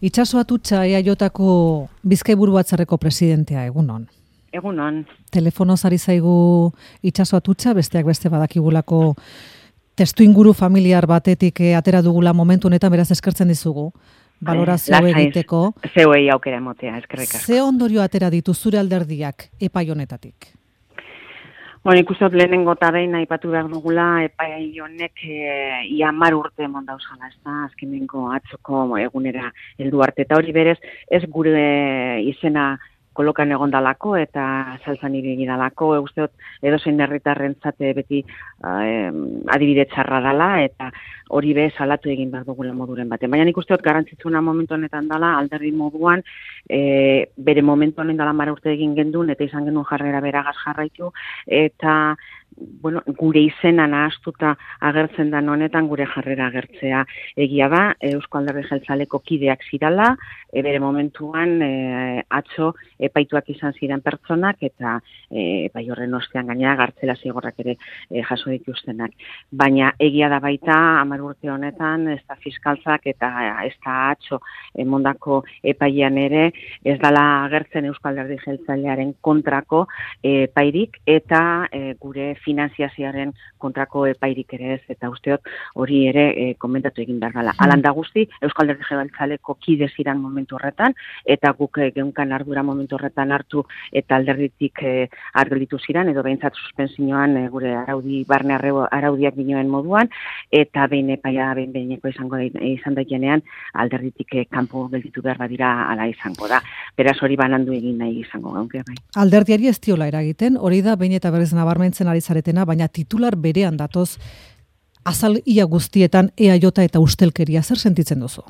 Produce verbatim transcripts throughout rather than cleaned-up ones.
Itxaso Atutxa E A Jko Bizkaiburu Batzarreko presidentea, egunon. Egunon. Telefonoz ari zaigu Itxaso Atutxa, besteak beste badakigulako testu inguru familiar batetik atera dugula momentu honetan, beraz eskertzen dizugu. Balorazio egiteko. Zeuei aukera emotea, eskerrik asko. Ze ondorio atera ditu zure alderdiak epai honetatik? Bueno, ikusot lehenengo eta behin aipatu behar dugula, epai honek e, ia hamar urte emon dauzala, ez da, azkenengo atzoko egunera heldu arte. Eta hori berez, ez gure izena kolokan egondalako eta saltzan ibili dalako, usteot edozein herritarrentzat beti eh, adibide txarra dela eta hori be salatu egin behar dugula moduren baten. Baina nik usteot garrantzitsuna momentu honetan dela, alderdi moduan, e, bere momentu honen dela mara urte egin gendun, eta izan genuen jarrera beragaz jarraitu, eta bueno, gure izena nahastuta agertzen da honetan gure jarrera agertzea egia da, Eusko Alderdi Jeltzaleko kideak zirala, e, bere momentuan e, atzo epaituak izan ziren pertsonak eta e, epai horren ostean gainera gartzela zigorrak ere e, jaso dituztenak. Baina egia da baita hamar urte honetan ez da fiskaltzak eta ez da atzo emondako epaian ere ez dela agertzen Eusko Alderdi Jeltzalearen kontrako e, epairik eta e, gure finanziazioaren kontrako epairik ere ez, eta usteot hori ere e, komentatu egin behar dela. Alan da guzti, Euskal Alderdi Jeltzaleko kide ziran momentu horretan, eta guk e, geunkan ardura momentu horretan hartu eta alderditik e, argelitu ziran, edo behintzat suspensioan e, gure araudi, barne arreu, araudiak dinoen moduan, eta behin epaia behin behineko izango da, izan daikenean, alderditik e, kanpo gelditu behar badira ala izango da. Beraz hori banandu egin nahi izango gaunke bai. Alderdiari ez diola eragiten, hori da behin eta berriz nabarmentzen ari zaretena, baina titular berean datoz azal ia guztietan E A J eta ustelkeria, zer sentitzen duzu?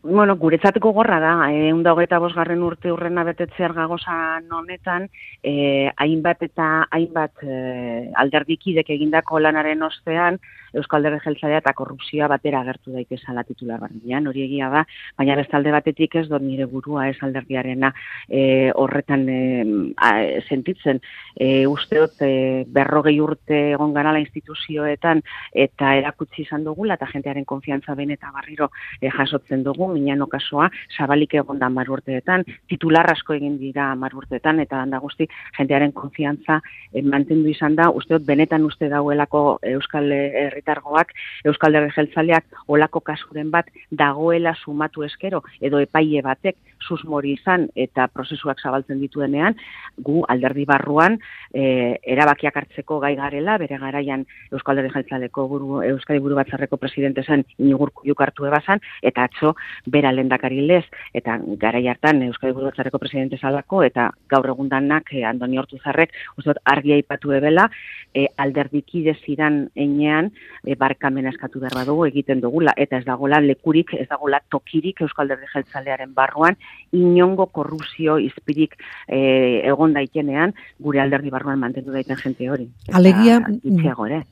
Bueno, guretzateko gorra da, ehun eta hogeita bosgarren urte urrena betetzear gagozan honetan, eh, hainbat eta hainbat eh, alderdikidek egindako lanaren ostean, Euskal Alderdi Jeltzalea eta korrupzioa batera agertu daitezala titular barnean, hori egia da, baina beste alde batetik ez dut nire burua ez alderdiarena eh, horretan eh, a, sentitzen. Eh, usteot eh, berrogei urte egon garala instituzioetan eta erakutsi izan dugula eta jentearen konfiantza behin eta barriro eh, jasotzen dugu, minan okasoa, zabalik egon da hamar urteetan, titular asko egin dira hamar urteetan, eta handa guzti jentearen konfiantza eh, mantendu izan da, usteot benetan uste dauelako Euskal Herritargoak, Euskal Alderdi Jeltzaleak olako kasuren bat dagoela sumatu eskero, edo epaile batek susmori izan eta prozesuak zabaltzen dituenean, gu alderdi barruan e, erabakiak hartzeko gai garela, bere garaian Euskal Alderdi Jeltzaleko buru, Euskadi Buru Batzarreko presidente zen Inigo Urkulluk hartu ebazan, eta atzo bera lehendakari lez, eta garai hartan Euskadi Buru Batzarreko presidente zalako, eta gaur egundanak e, Andoni Ortuzarrek uste dut argi aipatu ebela, e, alderdikide ziran enean e, barkamena eskatu behar badugu egiten dugula, eta ez dagoela lekurik, ez dagoela tokirik Euskal Alderdi Jeltzalearen barruan, inongo korrupzio izpirik e, egon daitenean, gure alderdi barruan mantendu daiten jente hori. Alegia,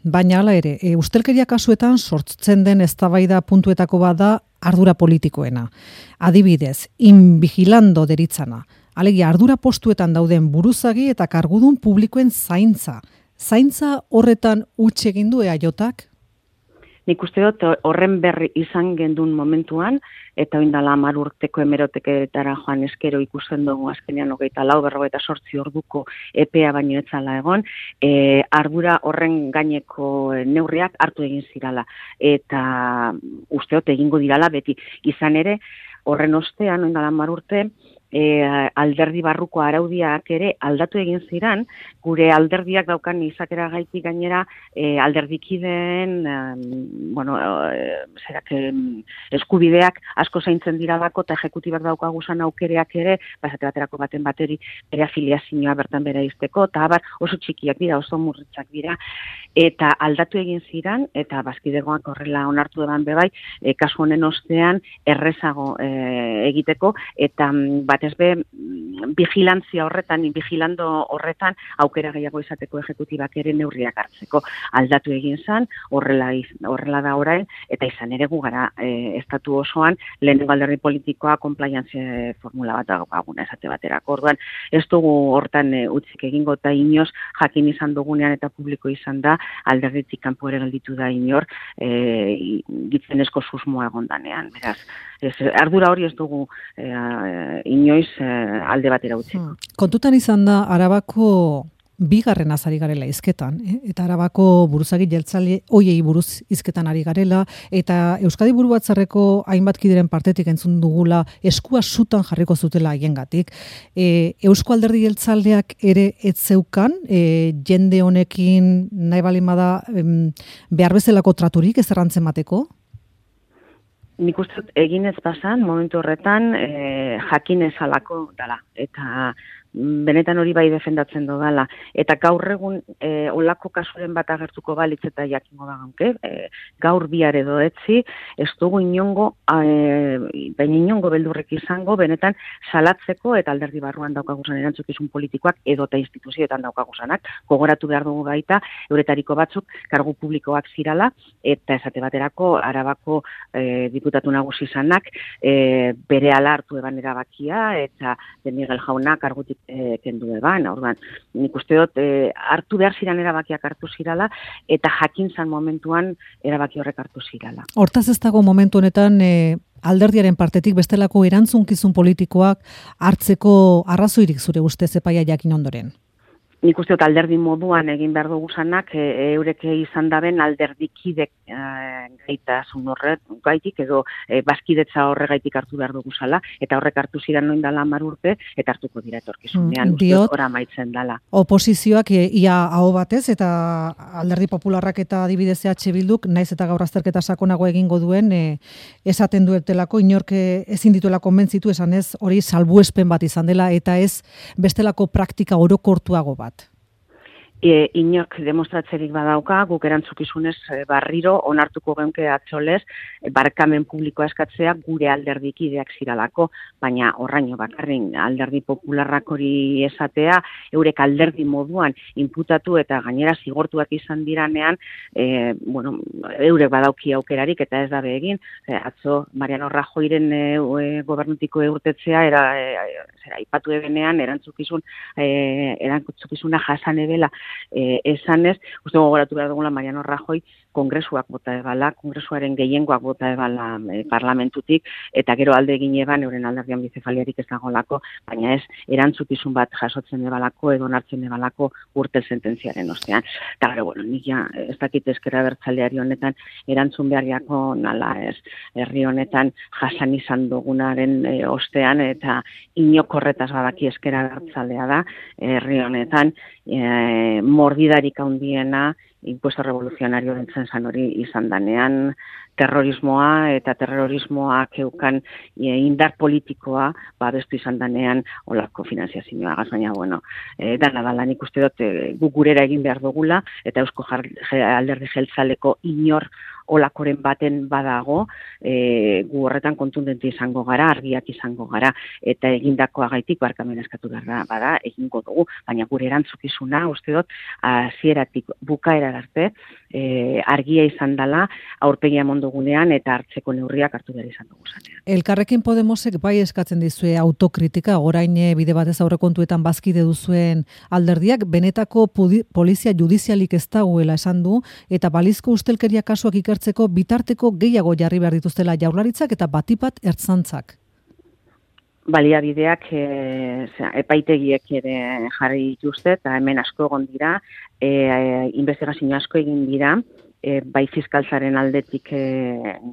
baina hala ere, e, ustelkeria kasuetan sortzen den eztabaida puntuetako bada ardura politikoena. Adibidez, inbigilando deritzana. Alegia, ardura postuetan dauden buruzagi eta kargudun publikoen zaintza. Zaintza horretan huts egin du E A Jak? Nik uste dut horren berri izan gendun momentuan, eta oindala hamar urteko hemeroteketara joan eskero ikusten dugu azkenean hogeita lau, berrogeita sortzi orduko epea baino etzala egon, e, ardura horren gaineko neurriak hartu egin zirala. Eta uste dut egingo dirala beti izan ere, horren ostean, oindala hamar urte, E, alderdi barruko araudiak ere aldatu egin ziran, gure alderdiak daukan izakera gaitik gainera e, alderdikideen e, bueno, e, zerak, e, eskubideak asko zaintzen dira bako eta ejekutibak daukaguzan aukereak ere, basate baterako baten bateri bere afiliazioa bertan bere izteko, eta abar oso txikiak dira, oso murritzak dira, eta aldatu egin ziran, eta bazkidegoak horrela onartu eban bebai, e, kasu honen ostean errezago e, egiteko, eta bat batez be vigilantzia horretan, vigilando horretan, aukera gehiago izateko ejekutibak ere neurriak hartzeko aldatu egin zan, horrela, horrela da orain, eta izan ere gu gara e, estatu osoan, lehenengo alderdi politikoa compliance formula bat daukaguna esate baterako. Orduan, ez dugu hortan e, utzik egingo eta inoz jakin izan dugunean eta publiko izan da, alderditik kanpo ere gelditu da inor, e, gitzenezko susmoa egondanean. Beraz, ez, ardura hori ez dugu e, inoiz e, alde batera utziko. Kontutan izan da, Arabako bigarren azari garela izketan, eh? Eta Arabako buruzagi jeltzale hoiei buruz izketan ari garela, eta Euskadi Buru Batzarreko hainbat kideren partetik entzun dugula eskua sutan jarriko zutela haiengatik. E, Eusko Alderdi Jeltzaleak ere ez zeukan, e, jende honekin nahi baldin bada em, behar bezalako traturik ez errantzen bateko? Nik uste egin ez pasan, momentu horretan e, jakin ezalako dala, eta benetan hori bai defendatzen dodala. Eta gaur egun e, olako kasuren bat agertuko balitz eta jakingo da gaunke, e, gaur bihar edo etzi, ez dugu inongo, e, baina inongo beldurrek izango, benetan salatzeko eta alderdi barruan daukaguzan erantzukizun politikoak edo eta instituzioetan daukaguzanak, gogoratu behar dugu baita, euretariko batzuk kargu publikoak zirala, eta esate baterako Arabako e, diputatu nagusi izanak e, bere ala hartu eban erabakia, eta de Miguel Jauna kargutik E, kendu eban, orduan, nik uste dut e, hartu behar ziren erabakiak hartu zirala, eta jakin zan momentuan erabaki horrek hartu zirala. Hortaz ez dago momentu honetan e, alderdiaren partetik bestelako erantzunkizun politikoak hartzeko arrazoirik zure ustez epaia jakin ondoren? Nik uste dut alderdi moduan egin behar dugu zanak, e, eureke izan daben alderdikidek e, gaitasun horret, gaitik, edo e, bazkidetza horregaitik hartu behar dugu zala, eta horrek hartu ziren noin dala hamar urte, eta hartuko dira etorkizunean, mm, uste dut ora maitzen dala. Oposizioak e, ia aho batez, eta alderdi popularrak eta adibidez E H Bilduk, naiz eta gaur azterketa sakonago egingo duen, e, esaten duetelako, inorke ezin dituela konbentzitu, esan ez, hori salbuespen bat izan dela, eta ez bestelako praktika orokortuago bat. E, inork demostratzerik badauka, guk erantzukizunez e, barriro onartuko geunke atxolez, e, barkamen publikoa eskatzea gure alderdikideak ziralako, baina horraino bakarrin alderdi popularrak hori esatea, eurek alderdi moduan inputatu eta gainera zigortuak izan diranean, e, bueno, eurek badauki aukerarik eta ez dabe egin, e, atzo Mariano Rajoyren e, e, gobernutiko eurtetzea, era, e, zera, ipatu ebenean erantzukizun, e, erantzukizuna jasan ebela, Eh, esanez, uste gogoratu behar dugula Mariano Rajoy kongresuak bota ebala, kongresuaren gehiengoak bota ebala eh, parlamentutik, eta gero alde egin eban, euren alderdian bizefaliarik ez dagolako, baina ez erantzukizun bat jasotzen ebalako, edo onartzen ebalako urte sententziaren ostean. Eta gero, bueno, nik ja, ez dakit ezkerra abertzaleari honetan erantzun beharriako nala ez, herri honetan jasan izan dugunaren e, ostean, eta inokorretaz badaki ezkerra abertzalea da, herri honetan, e, mordidarik handiena impuesto revoluzionario dentzen zan hori izan danean, terrorismoa eta terrorismoak eukan e, indar politikoa babestu izan danean olako finanziazioa. Baina, bueno, e, dana dala nik uste dut e, guk gurera egin behar dugula, eta Eusko Alderdi Jeltzaleko inor olakoren baten badago, e, gu horretan kontundente izango gara, argiak izango gara, eta egindakoa gaitik barkamen eskatu behar bada, egingo dugu, baina gure erantzukizuna, uste dut, hasieratik bukaera arte, e, argia izan dela, aurpegia mondogunean, eta hartzeko neurriak hartu behar izan dugu zanean. Elkarrekin Podemosek bai eskatzen dizue autokritika, orain bide batez aurrekontuetan bazkide duzuen alderdiak, benetako pudi, polizia judizialik ez dagoela esan du, eta balizko ustelkeria kasuak ikertzeko bitarteko gehiago jarri behar dituztela jaurlaritzak eta batipat ertzantzak. Baliabideak e, epaitegiek ere jarri dituzte, eta hemen asko egon dira, e, e, investigazio asko egin dira, E, bai fiskaltzaren aldetik e,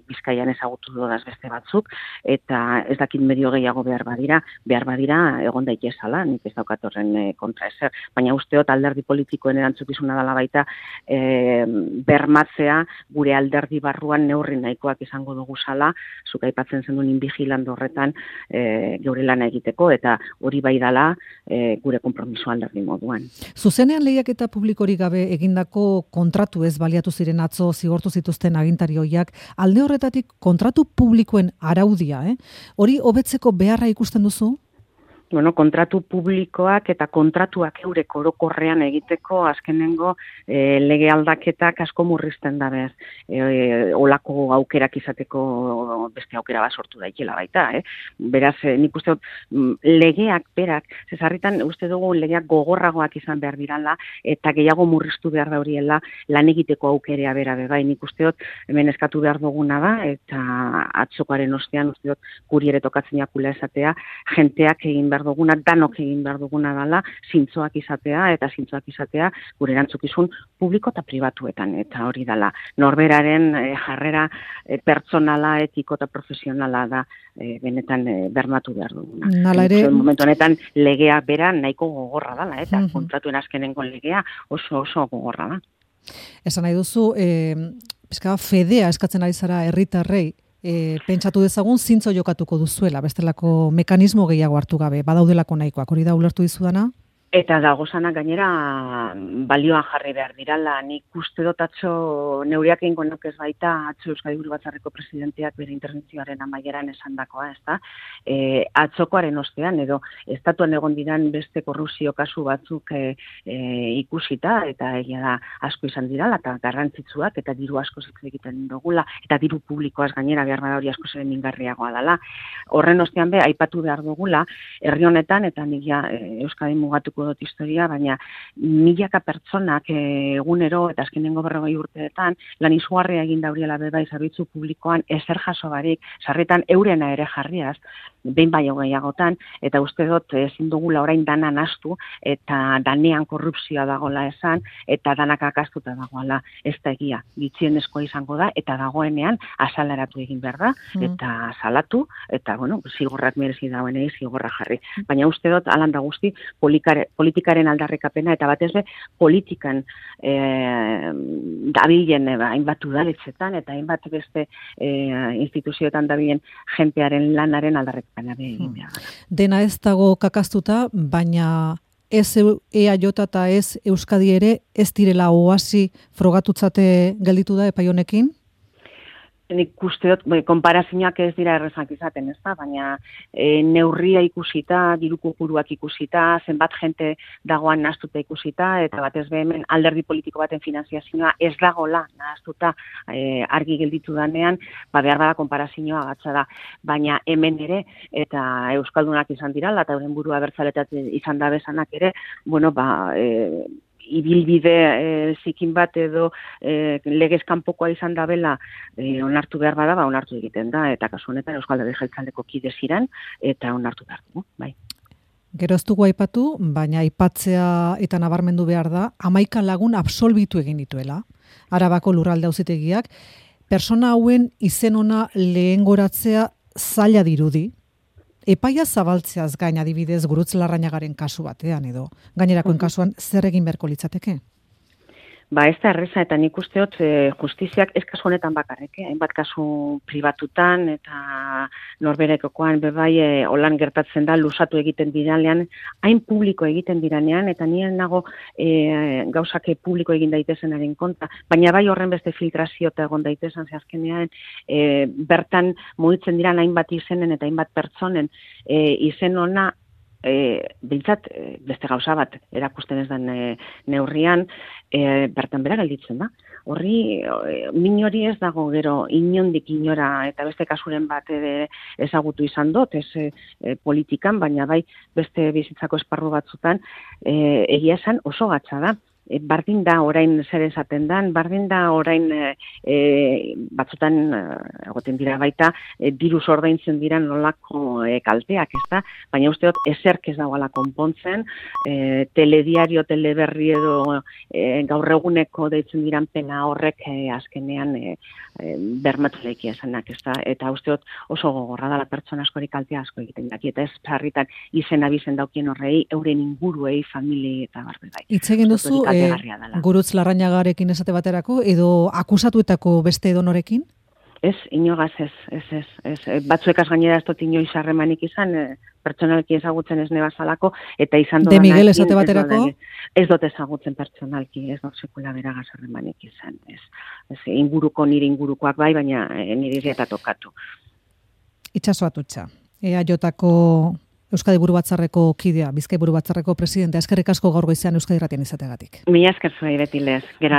Bizkaian ezagutu dodaz beste batzuk, eta ez dakit medio gehiago behar badira, behar badira egon daitezala, nik ez daukatorren e, kontra ezer, baina usteot alderdi politikoen erantzukizuna dela baita e, bermatzea gure alderdi barruan neurri nahikoak izango dugu sala, zuk aipatzen zenuen inbigilando horretan e, geure lana egiteko, eta hori bai dala e, gure konpromiso alderdi moduan. Zuzenean lehiaketa publikorik gabe egindako kontratu ez baliatu ziren atzo zigortu zituzten agintari hoiak, alde horretatik kontratu publikoen araudia, eh? Hori hobetzeko beharra ikusten duzu? bueno, kontratu publikoak eta kontratuak eurek orokorrean egiteko azkenengo e, lege aldaketak asko murrizten da bez. E, olako aukerak izateko beste aukera bat sortu daikela baita. Eh? Beraz, e, nik uste dut legeak berak, zezarritan uste dugu legeak gogorragoak izan behar dirala eta gehiago murriztu behar da horiela lan egiteko aukerea bera bebai. Nik uste dut hemen eskatu behar duguna da eta atzokoaren ostean uste dut guri ere tokatzen jakula esatea, jenteak egin behar duguna, danok egin behar duguna dela, zintzoak izatea, eta zintzoak izatea gure erantzukizun publiko eta pribatuetan, eta hori dela. Norberaren e, jarrera e, pertsonala, etiko eta profesionala da e, benetan e, bermatu behar duguna. Nala ere... Momentu honetan legea bera nahiko gogorra dela, eta uh-huh. kontratuen azkenengo legea oso oso gogorra da. Esan nahi duzu, e, pizka fedea eskatzen ari zara herritarrei, E, pentsatu dezagun zintzo jokatuko duzuela, bestelako mekanismo gehiago hartu gabe, badaudelako nahikoak, hori da ulertu dizudana? Eta dagozanak gainera balioan jarri behar dirala, nik uste dut atzo neuriak egingo ez baita atzo Euskadi Buru Batzarreko presidenteak bere interbentzioaren amaieran esandakoa, ez da? E, atzokoaren ostean, edo estatuan egon diran beste korrupzio kasu batzuk e, e, ikusita, eta egia da asko izan dirala, eta garrantzitsuak, eta diru asko hitz egiten dugula, eta diru publikoaz gainera behar bada hori asko zeren mingarriagoa dela. Horren ostean be, aipatu behar dugula, herri honetan, eta nik ja e, Euskadi mugatuko dut historia, baina milaka pertsonak egunero eta azkenengo berrogei urteetan lan izugarria egin dauriela bebai zerbitzu publikoan ezer jaso barik, sarretan eurena ere jarriaz, behin baino gehiagotan, eta uste dut ezin dugula orain dana nahastu eta danean korrupzioa dagoela esan, eta danak akastuta dagoela, ez da egia, gitxienezkoa izango da, eta dagoenean azalaratu egin behar da, eta salatu, eta bueno, zigorrak merezi dagoenei zigorra jarri. Baina uste dut, alan da guzti, polikare politikaren aldarrekapena, eta batez be, politikan e, dabilen hainbat udaletxetan, eta hainbat beste e, instituzioetan dabilen jentearen lanaren aldarrekapena egin behar. Dena ez dago kakaztuta, baina ez E A J eta ez Euskadi ere ez direla oasi frogatutzate gelditu da epai honekin? Nik uste dut, konparazioak ez dira errezak izaten, ez da, baina e, neurria ikusita, diru kopuruak ikusita, zenbat jente dagoan nahaztuta ikusita, eta batez be hemen alderdi politiko baten finanziazioa ez dagola nahaztuta e, argi gelditu danean, ba behar bada konparazioa gatza da, baina hemen ere, eta euskaldunak izan dirala, eta euren burua bertzaletat izan da bezanak ere, bueno, ba... E, ibilbide e, zikin bat edo e, legez kanpokoa izan da bela e, onartu behar bada, ba, onartu egiten da, eta kasu honetan Euskal Herria Jeltzaleko kide ziren, eta onartu behar dugu, bai. Gero ez dugu aipatu, baina aipatzea eta nabarmendu behar da, hamaika lagun absolbitu egin dituela, Arabako lurralde auzitegiak, persona hauen izen ona lehengoratzea zaila dirudi, epaia zabaltzeaz gain adibidez Gurutz Larrañagaren kasu batean edo gainerakoen kasuan zer egin beharko litzateke? Ba, ez da erreza, eta nik uste dut e, justiziak ez kasu honetan bakarrik, eh? hainbat kasu pribatutan eta norberekokoan bebai e, holan gertatzen da lusatu egiten diranean, hain publiko egiten diranean, eta nien nago e, gauzak publiko egin daitezenaren konta, baina bai horren beste filtrazio eta egon daitezen, ze azkenean e, bertan mugitzen diran hainbat izenen eta hainbat pertsonen e, izen ona E, bintzat, e, beste gauza bat erakusten ez den e, neurrian, e, bertan bera gelditzen da. Horri, e, min hori ez dago gero inondik inora, eta beste kasuren bat ere ezagutu izan dut, ez e, politikan, baina bai beste bizitzako esparru batzutan, e, egia esan oso gatza da. E, bardin da orain zer esaten dan, bardin da orain e, e, batzutan e, egoten dira baita e, diruz ordaintzen dira nolako e, kalteak, ez da? Baina uste dut ezerk ez dagoela konpontzen, e, telediario, teleberri edo e, gaur eguneko deitzen diran pena horrek e, azkenean e, e, bermatu leiki esanak, ez da? Eta uste dut oso gogorra dela pertsona askori kaltea asko egiten daki, eta ez sarritan izen abizen daukien horrei, euren inguruei, familie eta barbe bai. Hitz egin duzu, Gurutz Larrañagarekin esate baterako, edo akusatuetako beste edonorekin? Ez, inogaz ez, ez, ez, ez. Batzuekaz gainera ez dut inoiz harremanik izan, e, pertsonalki ezagutzen ez nebazalako, eta izan doan... De Miguel esate baterako? Ez dut ezagutzen pertsonalki, ez dut sekula beragaz harremanik izan. Ez, ez, inguruko nire ingurukoak bai, baina e, nire eta tokatu. Itxaso atutxa, E A Jotako Euskadi Buru Batzarreko kidea, Bizkai Buru Batzarreko presidentea, eskerrik asko gaur goizean Euskadi Irratian izateagatik. Mila esker zuei beti lez, Gerard.